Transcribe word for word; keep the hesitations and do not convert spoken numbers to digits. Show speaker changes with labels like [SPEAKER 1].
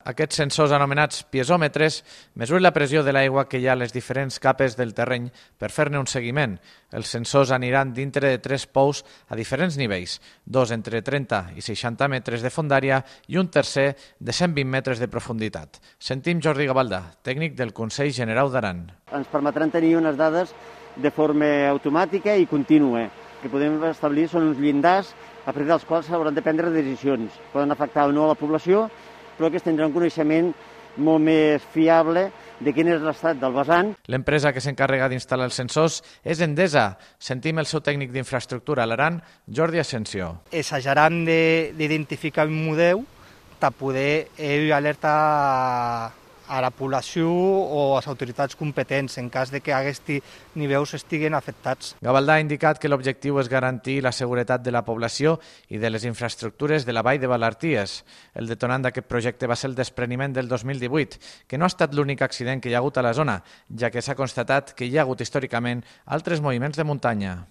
[SPEAKER 1] Aquests sensors anomenats piezòmetres mesuren la pressió de l'aigua que hi ha a les diferents capes del terreny per fer-ne un seguiment. Els sensors aniran dintre de tres pous a diferents nivells, dos entre trenta i seixanta metres de fondària i un tercer de cent vint metres de profunditat. Sentim Jordi Gavaldà, tècnic del Consell Generau d'Aran.
[SPEAKER 2] Ens permetran tenir unes dades de forma automàtica i contínua. El que podem establir són uns llindars a partir dels quals s'hauran de prendre decisions. Poden afectar o no a la població, però que tindran un coneixement molt més fiable de quin és l'estat del vessant.
[SPEAKER 1] L'empresa que s'encarrega d'instal·lar els sensors és Endesa. Sentim el seu tècnic d'infraestructura a l'Aran, Jordi Asensio.
[SPEAKER 3] Assajaran d'identificar un model per poder alertar a la població o a les autoritats competents en cas de que aquests nivells estiguen afectats.
[SPEAKER 1] Gavaldà ha indicat que l'objectiu és garantir la seguretat de la població i de les infraestructures de la vall de Valarties. El detonant d'aquest projecte va ser el despreniment del dos mil divuit, que no ha estat l'únic accident que hi ha hagut a la zona, ja que s'ha constatat que hi ha hagut històricament altres moviments de muntanya.